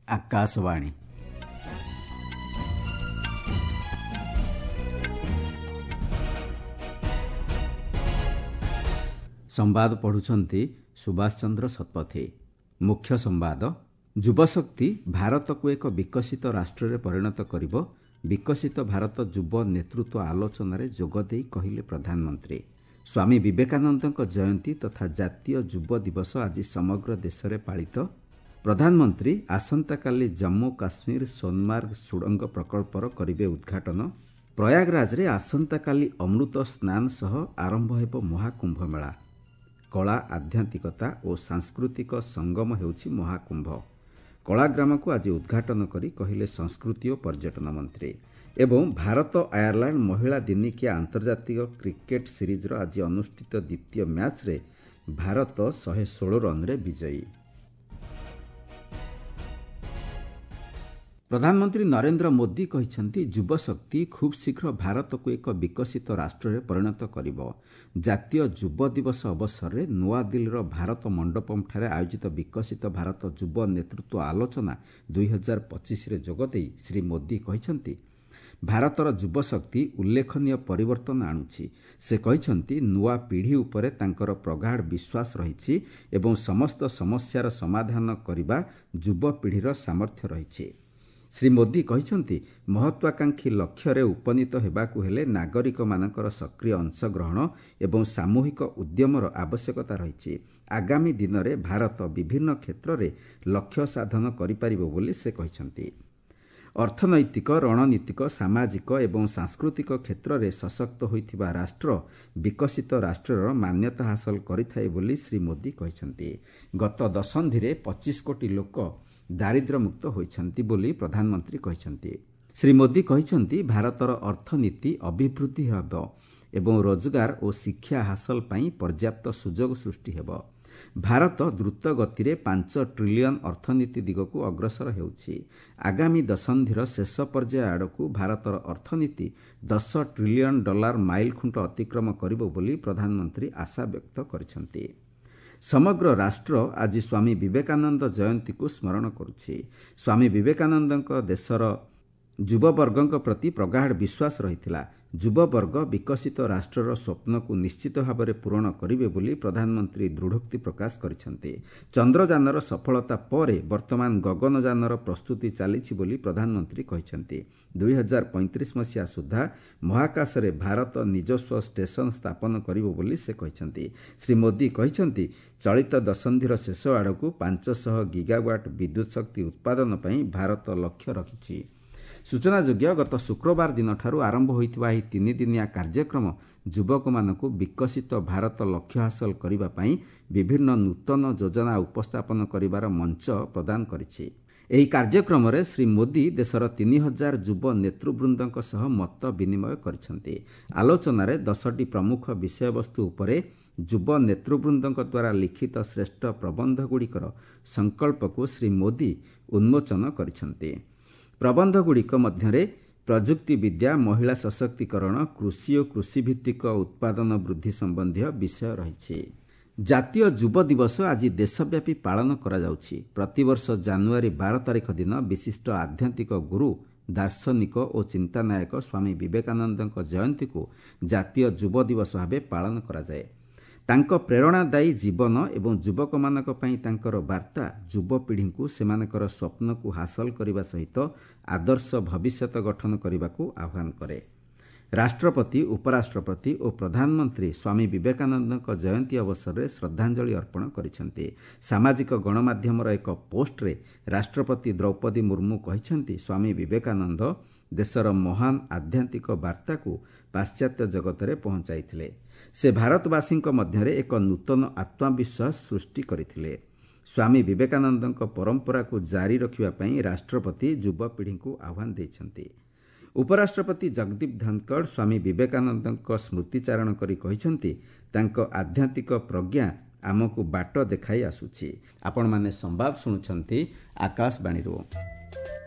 ଆକାଶବାଣୀ। ସମ୍ବାଦ ପଢ଼ୁଛନ୍ତି ସୁଭାଷ ଚନ୍ଦ୍ର ଶତପଥୀ। ମୁଖ୍ୟ ସମ୍ବାଦ: ଯୁବଶକ୍ତି ଭାରତକୁ ଏକ ବିକଶିତ ରାଷ୍ଟ୍ରରେ ପରିଣତ କରିବ, ବିକଶିତ ଭାରତ ଯୁବ ନେତୃତ୍ୱ ଆଲୋଚନାରେ ଯୋଗଦେଇ କହିଲେ ପ୍ରଧାନମନ୍ତ୍ରୀ। ସ୍ୱାମୀ ବିବେକାନନ୍ଦଙ୍କ ଜୟନ୍ତୀ ତଥା ଜାତୀୟ ଯୁବ ଦିବସ ଆଜି ସମଗ୍ର ଦେଶରେ ପାଳିତ। ପ୍ରଧାନମନ୍ତ୍ରୀ ଆସନ୍ତାକାଲି ଜମ୍ମୁ କାଶ୍ମୀର ସୋନମାର୍ଗ ସୁଡ଼ଙ୍ଗ ପ୍ରକଳ୍ପର କରିବେ ଉଦ୍ଘାଟନ। ପ୍ରୟାଗରାଜରେ ଆସନ୍ତାକାଲି ଅମୃତ ସ୍ନାନ ସହ ଆରମ୍ଭ ହେବ ମହାକୁମ୍ଭ ମେଳା। କଳା, ଆଧ୍ୟାତ୍ମିକତା ଓ ସାଂସ୍କୃତିକ ସଙ୍ଗମ ହେଉଛି ମହାକୁମ୍ଭ। କଳାଗ୍ରାମକୁ ଆଜି ଉଦ୍ଘାଟନ କରି କହିଲେ ସଂସ୍କୃତି ଓ ପର୍ଯ୍ୟଟନ ମନ୍ତ୍ରୀ। ଏବଂ ଭାରତ ଆୟାରଲାଣ୍ଡ ମହିଳା ଦିନିକିଆ ଆନ୍ତର୍ଜାତିକ କ୍ରିକେଟ୍ ସିରିଜ୍ର ଆଜି ଅନୁଷ୍ଠିତ ଦ୍ୱିତୀୟ ମ୍ୟାଚ୍ରେ ଭାରତ 116 ରନ୍ରେ ବିଜୟୀ। ପ୍ରଧାନମନ୍ତ୍ରୀ ନରେନ୍ଦ୍ର ମୋଦି କହିଛନ୍ତି, ଯୁବଶକ୍ତି ଖୁବ୍ ଶୀଘ୍ର ଭାରତକୁ ଏକ ବିକଶିତ ରାଷ୍ଟ୍ରରେ ପରିଣତ କରିବ। ଜାତୀୟ ଯୁବ ଦିବସ ଅବସରରେ ନୂଆଦିଲ୍ଲୀର ଭାରତ ମଣ୍ଡପମ୍ଠାରେ ଆୟୋଜିତ ବିକଶିତ ଭାରତ ଯୁବ ନେତୃତ୍ୱ ଆଲୋଚନା 2025ରେ ଯୋଗଦେଇ ଶ୍ରୀ ମୋଦି କହିଛନ୍ତି, ଭାରତର ଯୁବଶକ୍ତି ଉଲ୍ଲେଖନୀୟ ପରିବର୍ତ୍ତନ ଆଣୁଛି। ସେ କହିଛନ୍ତି, ନୂଆ ପିଢ଼ି ଉପରେ ତାଙ୍କର ପ୍ରଗାଢ଼ ବିଶ୍ୱାସ ରହିଛି ଏବଂ ସମସ୍ତ ସମସ୍ୟାର ସମାଧାନ କରିବା ଯୁବପିଢ଼ିର ସାମର୍ଥ୍ୟ ରହିଛି। ଶ୍ରୀ ମୋଦି କହିଛନ୍ତି, ମହତ୍ୱାକାଂକ୍ଷୀ ଲକ୍ଷ୍ୟରେ ଉପନୀତ ହେବାକୁ ହେଲେ ନାଗରିକମାନଙ୍କର ସକ୍ରିୟ ଅଂଶଗ୍ରହଣ ଏବଂ ସାମୂହିକ ଉଦ୍ୟମର ଆବଶ୍ୟକତା ରହିଛି। ଆଗାମୀ ଦିନରେ ଭାରତ ବିଭିନ୍ନ କ୍ଷେତ୍ରରେ ଲକ୍ଷ୍ୟ ସାଧନ କରିପାରିବ ବୋଲି ସେ କହିଛନ୍ତି। ଅର୍ଥନୈତିକ, ରଣନୀତିକ, ସାମାଜିକ ଏବଂ ସାଂସ୍କୃତିକ କ୍ଷେତ୍ରରେ ସଶକ୍ତ ହୋଇଥିବା ରାଷ୍ଟ୍ର ବିକଶିତ ରାଷ୍ଟ୍ରର ମାନ୍ୟତା ହାସଲ କରିଥାଏ ବୋଲି ଶ୍ରୀ ମୋଦି କହିଛନ୍ତି। ଗତ ଦଶନ୍ଧିରେ 25 କୋଟି ଲୋକ ଦାରିଦ୍ର୍ୟମୁକ୍ତ ହୋଇଛନ୍ତି ବୋଲି ପ୍ରଧାନମନ୍ତ୍ରୀ କହିଛନ୍ତି। ଶ୍ରୀ ମୋଦି କହିଛନ୍ତି, ଭାରତର ଅର୍ଥନୀତି ଅଭିବୃଦ୍ଧି ହେବ ଏବଂ ରୋଜଗାର ଓ ଶିକ୍ଷା ହାସଲ ପାଇଁ ପର୍ଯ୍ୟାପ୍ତ ସୁଯୋଗ ସୃଷ୍ଟି ହେବ। ଭାରତ ଦ୍ରୁତ ଗତିରେ 5 ଟ୍ରିଲିୟନ୍ ଅର୍ଥନୀତି ଦିଗକୁ ଅଗ୍ରସର ହେଉଛି। ଆଗାମୀ ଦଶନ୍ଧିର ଶେଷ ପର୍ଯ୍ୟାୟ ଆଡ଼କୁ ଭାରତର ଅର୍ଥନୀତି 10 ଟ୍ରିଲିୟନ୍ ଡଲାର ମାଇଲଖୁଣ୍ଟ ଅତିକ୍ରମ କରିବ ବୋଲି ପ୍ରଧାନମନ୍ତ୍ରୀ ଆଶା ବ୍ୟକ୍ତ କରିଛନ୍ତି। ସମଗ୍ର ରାଷ୍ଟ୍ର ଆଜି ସ୍ୱାମୀ ବିବେକାନନ୍ଦ ଜୟନ୍ତୀକୁ ସ୍ମରଣ କରୁଛି। ସ୍ୱାମୀ ବିବେକାନନ୍ଦଙ୍କ ଦେଶର ଯୁବବର୍ଗଙ୍କ ପ୍ରତି ପ୍ରଗାଢ଼ ବିଶ୍ୱାସ ରହିଥିଲା। ଯୁବବର୍ଗ ବିକଶିତ ରାଷ୍ଟ୍ରର ସ୍ୱପ୍ନକୁ ନିଶ୍ଚିତ ଭାବରେ ପୂରଣ କରିବେ ବୋଲି ପ୍ରଧାନମନ୍ତ୍ରୀ ଦୃଢ଼ୋକ୍ତି ପ୍ରକାଶ କରିଛନ୍ତି। ଚନ୍ଦ୍ରଯାନର ସଫଳତା ପରେ ବର୍ତ୍ତମାନ ଗଗନଯାନର ପ୍ରସ୍ତୁତି ଚାଲିଛି ବୋଲି ପ୍ରଧାନମନ୍ତ୍ରୀ କହିଛନ୍ତି। 2035 ମସିହା ସୁଦ୍ଧା ମହାକାଶରେ ଭାରତ ନିଜସ୍ୱ ଷ୍ଟେସନ ସ୍ଥାପନ କରିବ ବୋଲି ସେ କହିଛନ୍ତି। ଶ୍ରୀ ମୋଦି କହିଛନ୍ତି, ଚଳିତ ଦଶନ୍ଧିର ଶେଷ ଆଡ଼କୁ 500 ଗିଗାୱାଟ୍ ବିଦ୍ୟୁତ୍ ଶକ୍ତି ଉତ୍ପାଦନ ପାଇଁ ଭାରତ ଲକ୍ଷ୍ୟ ରଖିଛି। ସୂଚନାଯୋଗ୍ୟ, ଗତ ଶୁକ୍ରବାର ଦିନଠାରୁ ଆରମ୍ଭ ହୋଇଥିବା ଏହି ତିନିଦିନିଆ କାର୍ଯ୍ୟକ୍ରମ ଯୁବକମାନଙ୍କୁ ବିକଶିତ ଭାରତ ଲକ୍ଷ୍ୟ ହାସଲ କରିବା ପାଇଁ ବିଭିନ୍ନ ନୂତନ ଯୋଜନା ଉପସ୍ଥାପନ କରିବାର ମଞ୍ଚ ପ୍ରଦାନ କରିଛି। ଏହି କାର୍ଯ୍ୟକ୍ରମରେ ଶ୍ରୀ ମୋଦି ଦେଶର 3000 ଯୁବ ନେତୃବୃନ୍ଦଙ୍କ ସହ ମତ ବିନିମୟ କରିଛନ୍ତି। ଆଲୋଚନାରେ 10ଟି ପ୍ରମୁଖ ବିଷୟବସ୍ତୁ ଉପରେ ଯୁବ ନେତୃବୃନ୍ଦଙ୍କ ଦ୍ୱାରା ଲିଖିତ ଶ୍ରେଷ୍ଠ ପ୍ରବନ୍ଧଗୁଡ଼ିକର ସଂକଳ୍ପକୁ ଶ୍ରୀ ମୋଦି ଉନ୍ମୋଚନ କରିଛନ୍ତି। ପ୍ରବନ୍ଧଗୁଡ଼ିକ ମଧ୍ୟରେ ପ୍ରଯୁକ୍ତିବିଦ୍ୟା, ମହିଳା ସଶକ୍ତିକରଣ, କୃଷି ଓ କୃଷିଭିତ୍ତିକ ଉତ୍ପାଦନ ବୃଦ୍ଧି ସମ୍ବନ୍ଧୀୟ ବିଷୟ ରହିଛି। ଜାତୀୟ ଯୁବ ଦିବସ ଆଜି ଦେଶବ୍ୟାପୀ ପାଳନ କରାଯାଉଛି। ପ୍ରତିବର୍ଷ ଜାନୁଆରୀ 12 ତାରିଖ ଦିନ ବିଶିଷ୍ଟ ଆଧ୍ୟାତ୍ମିକ ଗୁରୁ, ଦାର୍ଶନିକ ଓ ଚିନ୍ତାନାୟକ ସ୍ୱାମୀ ବିବେକାନନ୍ଦଙ୍କ ଜୟନ୍ତୀକୁ ଜାତୀୟ ଯୁବ ଦିବସ ଭାବେ ପାଳନ କରାଯାଏ। ତାଙ୍କ ପ୍ରେରଣାଦାୟୀ ଜୀବନ ଏବଂ ଯୁବକମାନଙ୍କ ପାଇଁ ତାଙ୍କର ବାର୍ତ୍ତା ଯୁବପିଢ଼ିଙ୍କୁ ସେମାନଙ୍କର ସ୍ୱପ୍ନକୁ ହାସଲ କରିବା ସହିତ ଆଦର୍ଶ ଭବିଷ୍ୟତ ଗଠନ କରିବାକୁ ଆହ୍ୱାନ କରେ। ରାଷ୍ଟ୍ରପତି, ଉପରାଷ୍ଟ୍ରପତି ଓ ପ୍ରଧାନମନ୍ତ୍ରୀ ସ୍ୱାମୀ ବିବେକାନନ୍ଦଙ୍କ ଜୟନ୍ତୀ ଅବସରରେ ଶ୍ରଦ୍ଧାଞ୍ଜଳି ଅର୍ପଣ କରିଛନ୍ତି। ସାମାଜିକ ଗଣମାଧ୍ୟମର ଏକ ପୋଷ୍ଟରେ ରାଷ୍ଟ୍ରପତି ଦ୍ରୌପଦୀ ମୁର୍ମୁ କହିଛନ୍ତି, ସ୍ୱାମୀ ବିବେକାନନ୍ଦ ଦେଶର ମହାନ ଆଧ୍ୟାତ୍ମିକ ବାର୍ତ୍ତାକୁ ପାଶ୍ଚାତ୍ୟ ଜଗତରେ ପହଞ୍ଚାଇଥିଲେ। ସେ ଭାରତବାସୀଙ୍କ ମଧ୍ୟରେ ଏକ ନୂତନ ଆତ୍ମବିଶ୍ୱାସ ସୃଷ୍ଟି କରିଥିଲେ। ସ୍ୱାମୀ ବିବେକାନନ୍ଦଙ୍କ ପରମ୍ପରାକୁ ଜାରି ରଖିବା ପାଇଁ ରାଷ୍ଟ୍ରପତି ଯୁବପିଢ଼ିଙ୍କୁ ଆହ୍ୱାନ ଦେଇଛନ୍ତି। ଉପରାଷ୍ଟ୍ରପତି ଜଗଦୀପ ଧନଖଡ଼ ସ୍ୱାମୀ ବିବେକାନନ୍ଦଙ୍କ ସ୍ମୃତିଚାରଣ କରି କହିଛନ୍ତି, ତାଙ୍କ ଆଧ୍ୟାତ୍ମିକ ପ୍ରଜ୍ଞା ଆମକୁ ବାଟ ଦେଖାଇ ଆସୁଛି। ଆପଣମାନେ ସମ୍ବାଦ ଶୁଣୁଛନ୍ତି ଆକାଶବାଣୀରୁ।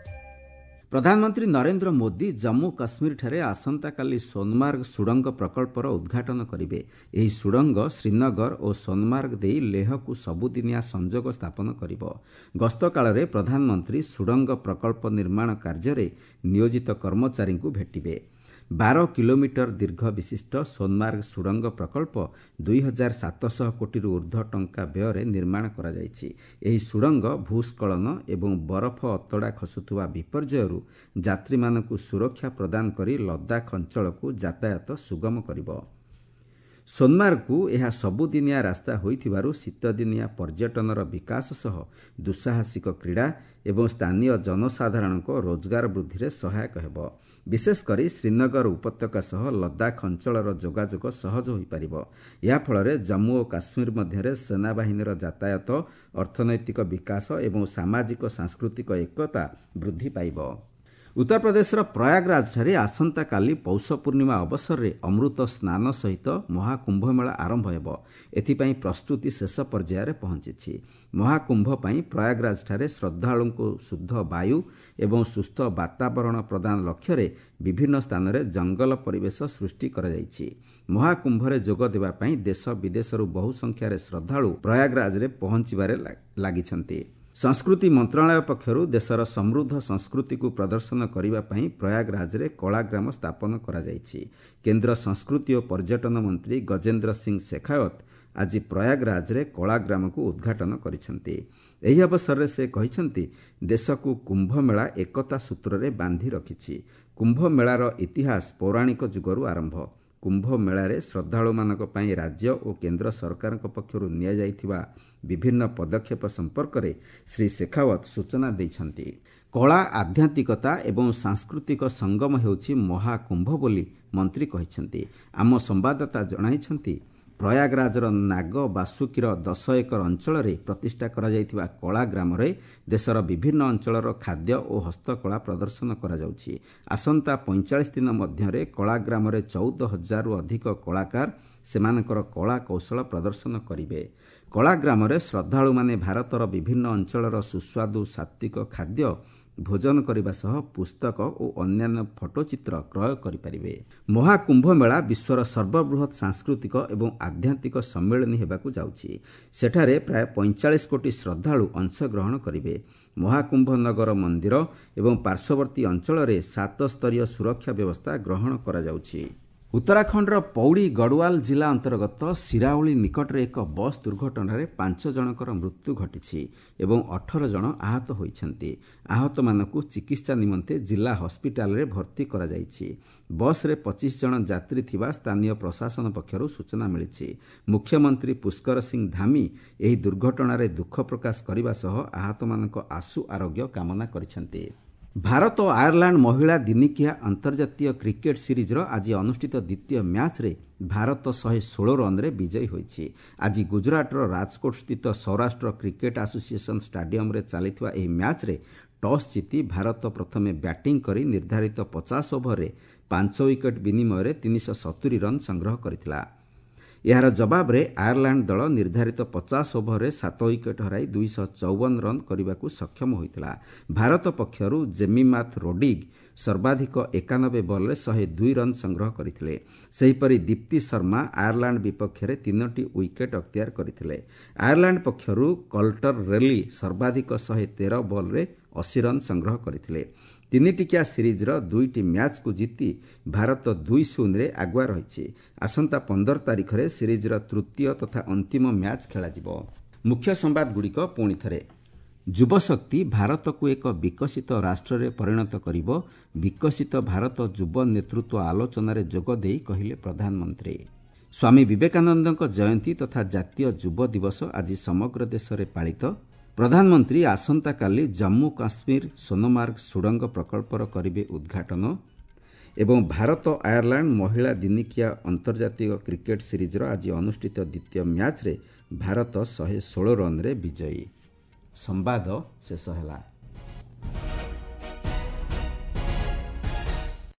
ପ୍ରଧାନମନ୍ତ୍ରୀ ନରେନ୍ଦ୍ର ମୋଦି ଜମ୍ମୁ କାଶ୍ମୀରଠାରେ ଆସନ୍ତାକାଲି ସୋନମାର୍ଗ ସୁଡ଼ଙ୍ଗ ପ୍ରକଳ୍ପର ଉଦ୍ଘାଟନ କରିବେ। ଏହି ସୁଡ଼ଙ୍ଗ ଶ୍ରୀନଗର ଓ ସୋନମାର୍ଗ ଦେଇ ଲେହକୁ ସବୁଦିନିଆ ସଂଯୋଗ ସ୍ଥାପନ କରିବ। ଗସ୍ତକାଳରେ ପ୍ରଧାନମନ୍ତ୍ରୀ ସୁଡ଼ଙ୍ଗ ପ୍ରକଳ୍ପ ନିର୍ମାଣ କାର୍ଯ୍ୟରେ ନିୟୋଜିତ କର୍ମଚାରୀଙ୍କୁ ଭେଟିବେ। 12 କିଲୋମିଟର ଦୀର୍ଘ ବିଶିଷ୍ଟ ସୋନମାର୍ଗ ସୁଡ଼ଙ୍ଗ ପ୍ରକଳ୍ପ 2700 କୋଟିରୁ ଉର୍ଦ୍ଧ୍ୱ ଟଙ୍କା ବ୍ୟୟରେ ନିର୍ମାଣ କରାଯାଇଛି। ଏହି ସୁଡ଼ଙ୍ଗ ଭୂସ୍ଖଳନ ଏବଂ ବରଫ ଅତଡ଼ା ଖସୁଥିବା ବିପର୍ଯ୍ୟୟରୁ ଯାତ୍ରୀମାନଙ୍କୁ ସୁରକ୍ଷା ପ୍ରଦାନ କରି ଲଦାଖ ଅଞ୍ଚଳକୁ ଯାତାୟାତ ସୁଗମ କରିବ। ସୋନମାର୍ଗକୁ ଏହା ସବୁଦିନିଆ ରାସ୍ତା ହୋଇଥିବାରୁ ଶୀତଦିନିଆ ପର୍ଯ୍ୟଟନର ବିକାଶ ସହ ଦୁଃସାହସିକ କ୍ରୀଡ଼ା ଏବଂ ସ୍ଥାନୀୟ ଜନସାଧାରଣଙ୍କ ରୋଜଗାର ବୃଦ୍ଧିରେ ସହାୟକ ହେବ। ବିଶେଷକରି ଶ୍ରୀନଗର ଉପତ୍ୟକା ସହ ଲଦାଖ ଅଞ୍ଚଳର ଯୋଗାଯୋଗ ସହଜ ହୋଇପାରିବ। ଏହାଫଳରେ ଜମ୍ମୁ ଓ କାଶ୍ମୀର ମଧ୍ୟରେ ସେନାବାହିନୀର ଯାତାୟାତ, ଅର୍ଥନୈତିକ ବିକାଶ ଏବଂ ସାମାଜିକ ସାଂସ୍କୃତିକ ଏକତା ବୃଦ୍ଧି ପାଇବ। ଉତ୍ତରପ୍ରଦେଶର ପ୍ରୟାଗରାଜଠାରେ ଆସନ୍ତାକାଲି ପୌଷ ପୂର୍ଣ୍ଣିମା ଅବସରରେ ଅମୃତ ସ୍ନାନ ସହିତ ମହାକୁମ୍ଭମେଳା ଆରମ୍ଭ ହେବ। ଏଥିପାଇଁ ପ୍ରସ୍ତୁତି ଶେଷ ପର୍ଯ୍ୟାୟରେ ପହଞ୍ଚିଛି। ମହାକୁମ୍ଭ ପାଇଁ ପ୍ରୟାଗରାଜଠାରେ ଶ୍ରଦ୍ଧାଳୁଙ୍କୁ ଶୁଦ୍ଧ ବାୟୁ ଏବଂ ସୁସ୍ଥ ବାତାବରଣ ପ୍ରଦାନ ଲକ୍ଷ୍ୟରେ ବିଭିନ୍ନ ସ୍ଥାନରେ ଜଙ୍ଗଲ ପରିବେଶ ସୃଷ୍ଟି କରାଯାଇଛି। ମହାକୁମ୍ଭରେ ଯୋଗ ଦେବା ପାଇଁ ଦେଶ ବିଦେଶରୁ ବହୁ ସଂଖ୍ୟାରେ ଶ୍ରଦ୍ଧାଳୁ ପ୍ରୟାଗରାଜରେ ପହଞ୍ଚିବାରେ ଲାଗିଛନ୍ତି। ସଂସ୍କୃତି ମନ୍ତ୍ରଣାଳୟ ପକ୍ଷରୁ ଦେଶର ସମୃଦ୍ଧ ସଂସ୍କୃତିକୁ ପ୍ରଦର୍ଶନ କରିବା ପାଇଁ ପ୍ରୟାଗରାଜରେ କଳାଗ୍ରାମ ସ୍ଥାପନ କରାଯାଇଛି। କେନ୍ଦ୍ର ସଂସ୍କୃତି ଓ ପର୍ଯ୍ୟଟନ ମନ୍ତ୍ରୀ ଗଜେନ୍ଦ୍ର ସିଂ ଶେଖାୱତ ଆଜି ପ୍ରୟାଗରାଜରେ କଳାଗ୍ରାମକୁ ଉଦ୍ଘାଟନ କରିଛନ୍ତି। ଏହି ଅବସରରେ ସେ କହିଛନ୍ତି, ଦେଶକୁ କୁମ୍ଭମେଳା ଏକତା ସୂତ୍ରରେ ବାନ୍ଧି ରଖିଛି। କୁମ୍ଭମେଳାର ଇତିହାସ ପୌରାଣିକ ଯୁଗରୁ ଆରମ୍ଭ। କୁମ୍ଭମେଳାରେ ଶ୍ରଦ୍ଧାଳୁମାନଙ୍କ ପାଇଁ ରାଜ୍ୟ ଓ କେନ୍ଦ୍ର ସରକାରଙ୍କ ପକ୍ଷରୁ ନିଆଯାଇଥିବା ବିଭିନ୍ନ ପଦକ୍ଷେପ ସମ୍ପର୍କରେ ଶ୍ରୀ ଶେଖାୱତ ସୂଚନା ଦେଇଛନ୍ତି। କଳା, ଆଧ୍ୟାତ୍ମିକତା ଏବଂ ସାଂସ୍କୃତିକ ସଙ୍ଗମ ହେଉଛି ମହାକୁମ୍ଭ ବୋଲି ମନ୍ତ୍ରୀ କହିଛନ୍ତି। ଆମ ସମ୍ବାଦଦାତା ଜଣାଇଛନ୍ତି, ପ୍ରୟାଗରାଜର ନାଗ ବାସୁକୀର 10 ଏକର ଅଞ୍ଚଳରେ ପ୍ରତିଷ୍ଠା କରାଯାଇଥିବା କଳାଗ୍ରାମରେ ଦେଶର ବିଭିନ୍ନ ଅଞ୍ଚଳର ଖାଦ୍ୟ ଓ ହସ୍ତକଳା ପ୍ରଦର୍ଶନ କରାଯାଉଛି। ଆସନ୍ତା 45 ଦିନ ମଧ୍ୟରେ କଳାଗ୍ରାମରେ 14,000ରୁ ଅଧିକ କଳାକାର ସେମାନଙ୍କର କଳା କୌଶଳ ପ୍ରଦର୍ଶନ କରିବେ। କଳାଗ୍ରାମରେ ଶ୍ରଦ୍ଧାଳୁମାନେ ଭାରତର ବିଭିନ୍ନ ଅଞ୍ଚଳର ସୁସ୍ୱାଦୁ ସାତ୍ତ୍ୱିକ ଖାଦ୍ୟ ଭୋଜନ କରିବା ସହ ପୁସ୍ତକ ଓ ଅନ୍ୟାନ୍ୟ ଫଟୋଚିତ୍ର କ୍ରୟ କରିପାରିବେ। ମହାକୁମ୍ଭମେଳା ବିଶ୍ୱର ସର୍ବବୃହତ୍ ସାଂସ୍କୃତିକ ଏବଂ ଆଧ୍ୟାତ୍ମିକ ସମ୍ମିଳନୀ ହେବାକୁ ଯାଉଛି। ସେଠାରେ ପ୍ରାୟ 45 କୋଟି ଶ୍ରଦ୍ଧାଳୁ ଅଂଶଗ୍ରହଣ କରିବେ। ମହାକୁମ୍ଭ ନଗର ମନ୍ଦିର ଏବଂ ପାର୍ଶ୍ୱବର୍ତ୍ତୀ ଅଞ୍ଚଳରେ 7 ସ୍ତରୀୟ ସୁରକ୍ଷା ବ୍ୟବସ୍ଥା ଗ୍ରହଣ କରାଯାଉଛି। ଉତ୍ତରାଖଣ୍ଡର ପୌଡ଼ି ଗଡ଼ୱାଲ ଜିଲ୍ଲା ଅନ୍ତର୍ଗତ ସିରାଉଳି ନିକଟରେ ଏକ ବସ୍ ଦୁର୍ଘଟଣାରେ 5 ଜଣଙ୍କର ମୃତ୍ୟୁ ଘଟିଛି ଏବଂ 18 ଜଣ ଆହତ ହୋଇଛନ୍ତି। ଆହତମାନଙ୍କୁ ଚିକିତ୍ସା ନିମନ୍ତେ ଜିଲ୍ଲା ହସ୍ପିଟାଲରେ ଭର୍ତ୍ତି କରାଯାଇଛି। ବସ୍ରେ 25 ଜଣ ଯାତ୍ରୀ ଥିବା ସ୍ଥାନୀୟ ପ୍ରଶାସନ ପକ୍ଷରୁ ସୂଚନା ମିଳିଛି। ମୁଖ୍ୟମନ୍ତ୍ରୀ ପୁଷ୍କର ସିଂ ଧାମି ଏହି ଦୁର୍ଘଟଣାରେ ଦୁଃଖ ପ୍ରକାଶ କରିବା ସହ ଆହତମାନଙ୍କ ଆଶୁ ଆରୋଗ୍ୟ କାମନା କରିଛନ୍ତି। ଭାରତ ଓ ଆୟାରଲାଣ୍ଡ ମହିଳା ଦିନିକିଆ ଅନ୍ତର୍ଜାତୀୟ କ୍ରିକେଟ୍ ସିରିଜ୍ର ଆଜି ଅନୁଷ୍ଠିତ ଦ୍ୱିତୀୟ ମ୍ୟାଚ୍ରେ ଭାରତ 116 ରନ୍ରେ ବିଜୟୀ ହୋଇଛି। ଆଜି ଗୁଜରାଟର ରାଜକୋଟ ସ୍ଥିତ ସୌରାଷ୍ଟ୍ର କ୍ରିକେଟ୍ ଆସୋସିଏସନ୍ ଷ୍ଟାଡିୟମରେ ଚାଲିଥିବା ଏହି ମ୍ୟାଚ୍ରେ ଟସ୍ ଜିତି ଭାରତ ପ୍ରଥମେ ବ୍ୟାଟିଂ କରି ନିର୍ଦ୍ଧାରିତ 50 ଓଭରରେ 5 ୱିକେଟ୍ ବିନିମୟରେ 370 ରନ୍ ସଂଗ୍ରହ କରିଥିଲା। ଏହାର ଜବାବରେ ଆୟାରଲାଣ୍ଡ ଦଳ ନିର୍ଦ୍ଧାରିତ 50 ଓଭରରେ 7 ୱିକେଟ୍ ହରାଇ 254 ରନ୍ କରିବାକୁ ସକ୍ଷମ ହୋଇଥିଲା। ଭାରତ ପକ୍ଷରୁ ଜେମିମାଥ୍ ରୋଡିଗ୍ ସର୍ବାଧିକ 91 ବଲ୍ରେ 102 ରନ୍ ସଂଗ୍ରହ କରିଥିଲେ। ସେହିପରି ଦୀପ୍ତି ଶର୍ମା ଆୟାରଲାଣ୍ଡ ବିପକ୍ଷରେ 3ଟି ୱିକେଟ୍ ଅକ୍ତିଆର କରିଥିଲେ। ଆୟାରଲାଣ୍ଡ ପକ୍ଷରୁ କଲ୍ଟର ରେଲି ସର୍ବାଧିକ 113 ବଲ୍ରେ 80 ରନ୍ ସଂଗ୍ରହ କରିଥିଲେ। 3ଟିକିଆ ସିରିଜ୍ର 2ଟି ମ୍ୟାଚ୍କୁ ଜିତି ଭାରତ 2-0ରେ ଆଗୁଆ ରହିଛି। ଆସନ୍ତା 15 ତାରିଖରେ ସିରିଜ୍ର ତୃତୀୟ ତଥା ଅନ୍ତିମ ମ୍ୟାଚ୍ ଖେଳାଯିବ। ମୁଖ୍ୟ ସମ୍ବାଦଗୁଡ଼ିକ ପୁଣି ଥରେ। ଯୁବଶକ୍ତି ଭାରତକୁ ଏକ ବିକଶିତ ରାଷ୍ଟ୍ରରେ ପରିଣତ କରିବ, ବିକଶିତ ଭାରତ ଯୁବ ନେତୃତ୍ୱ ଆଲୋଚନାରେ ଯୋଗ ଦେଇ କହିଲେ ପ୍ରଧାନମନ୍ତ୍ରୀ। ସ୍ୱାମୀ ବିବେକାନନ୍ଦଙ୍କ ଜୟନ୍ତୀ ତଥା ଜାତୀୟ ଯୁବ ଦିବସ ଆଜି ସମଗ୍ର ଦେଶରେ ପାଳିତ। ପ୍ରଧାନମନ୍ତ୍ରୀ ଆସନ୍ତାକାଲି ଜମ୍ମୁ କାଶ୍ମୀର ସୋନମାର୍ଗ ସୁଡ଼ଙ୍ଗ ପ୍ରକଳ୍ପର କରିବେ ଉଦ୍ଘାଟନ। ଏବଂ ଭାରତ ଆୟାରଲାଣ୍ଡ ମହିଳା ଦିନିକିଆ ଅନ୍ତର୍ଜାତୀୟ କ୍ରିକେଟ୍ ସିରିଜ୍ର ଆଜି ଅନୁଷ୍ଠିତ ଦ୍ୱିତୀୟ ମ୍ୟାଚ୍ରେ ଭାରତ 116 ରନ୍ରେ ବିଜୟୀ। ସମ୍ବାଦ ଶେଷ ହେଲା।